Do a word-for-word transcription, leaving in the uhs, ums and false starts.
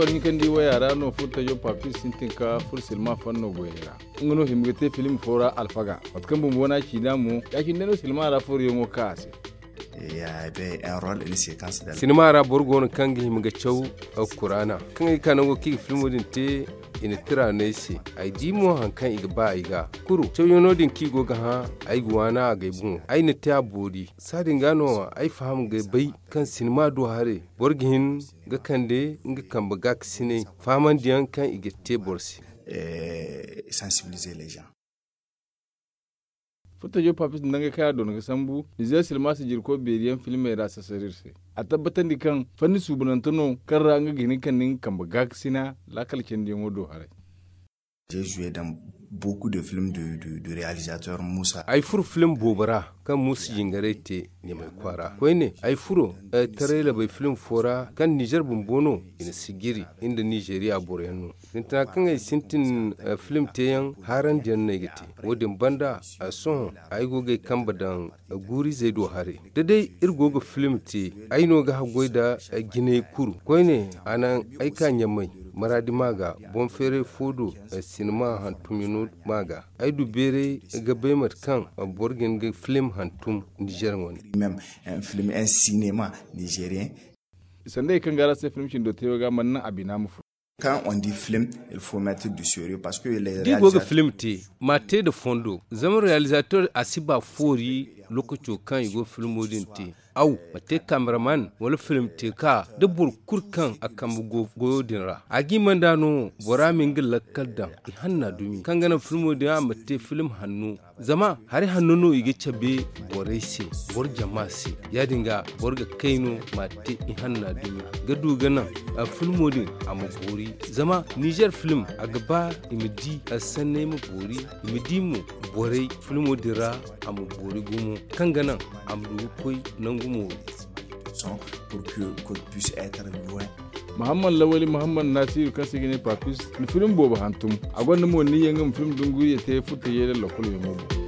Hinkandi waya ra no furtajo papis sintin ka furo silma fanno goyey ra. Nga no hima ga te film fo ra alfaga, mate kaŋ bumbo n'a ciina mo, ya-cine day no silma ra foroyaŋo ka a se. Sinima ra boro go no kaŋ ga hima ga caw kuraana kaŋ ay ga ka nango kaŋ i ga filmo din te. I na tira no ay se, ay di mo hari kaŋ i ga ba ay ga kuru cawyaŋo din kaŋ i go ga hã. Ay ga waana a ga ay boŋo, ay na te a boori. Saadin ga no ay faham ga bay kaŋ sinima do haray boro ga hin ga kande nga kambe gaakasinay fahamandiyaŋ kaŋ i ga te boro se. Furtajo papis nda ngey kaŋ a doona ga sambu nizeer silma sijirko beeriyaŋ filmey ra sasar iri se. A tabbatandi kaŋ fanni suubanante no kaŋ ra nga ga hin ga kande nga kambe gaakasina laakal candiyaŋo do haray. Ay furo film boobo ra kaŋ muusa jingaray te ɲamay kwaara koyne ay furo tarayla bay film fo ra kaŋ nizeer bumbo no i na sijiri nda nizeeriya boroyaŋ no. Sintina kaŋ ay sintin film teeyaŋ haarandiyaŋ no ay ga te. Wo-din banda sohõ ay go ga ay kambe daŋ guurizey do haray. Da day iri go ga film te, ay no ga haggoy nda jinay kuru koyne a naŋ ay ka ɲamay maraadi ma ga boŋ feeray fo do. Sinima hantumyaŋo ma ga ay du beeray ga bay mate kaŋ boro ga hin ga film hantum nizeer wane. Film en sinema nizeeriyaŋ. Sanda i kaŋ ga araŋ se film cindo te wo ga mana naŋ a bina ma furo. Kaŋ on di film il faut mettre du sérieux parce que les réalisateurs. Da i go ga film te, ma te nda fondo zama realizateur a si ba foori. Lokaco kaŋ i go ga filmo din te, aw ma te kameraman wala film te ka da boro kulu kaŋ a kambe go goyo din ra a ga hima nd'a no bora ma nga lakkal daŋ. Ihanna dumi kaŋ ga naŋ filmo din a ma te film hanno. Zama hari hanno no i ga cabe borey se, boro jama se. Ya-din ga boro ga kay no ma te ihanna dumi ga du ga naŋ filmo din a ma boori. Zama nizeer film a ga ba i ma di sanney ma boori, i ma di mo borey filmo din ra a ma boori gumo kaŋ ga naŋ a ma du ga koy nangu mooru. Muhammad lawali muhammad nasiru kaŋ se ga ne papis na film boobo hantum. A gonda mo niyya nga ma film dunguriya te furta yeele lokol yaŋo boŋ.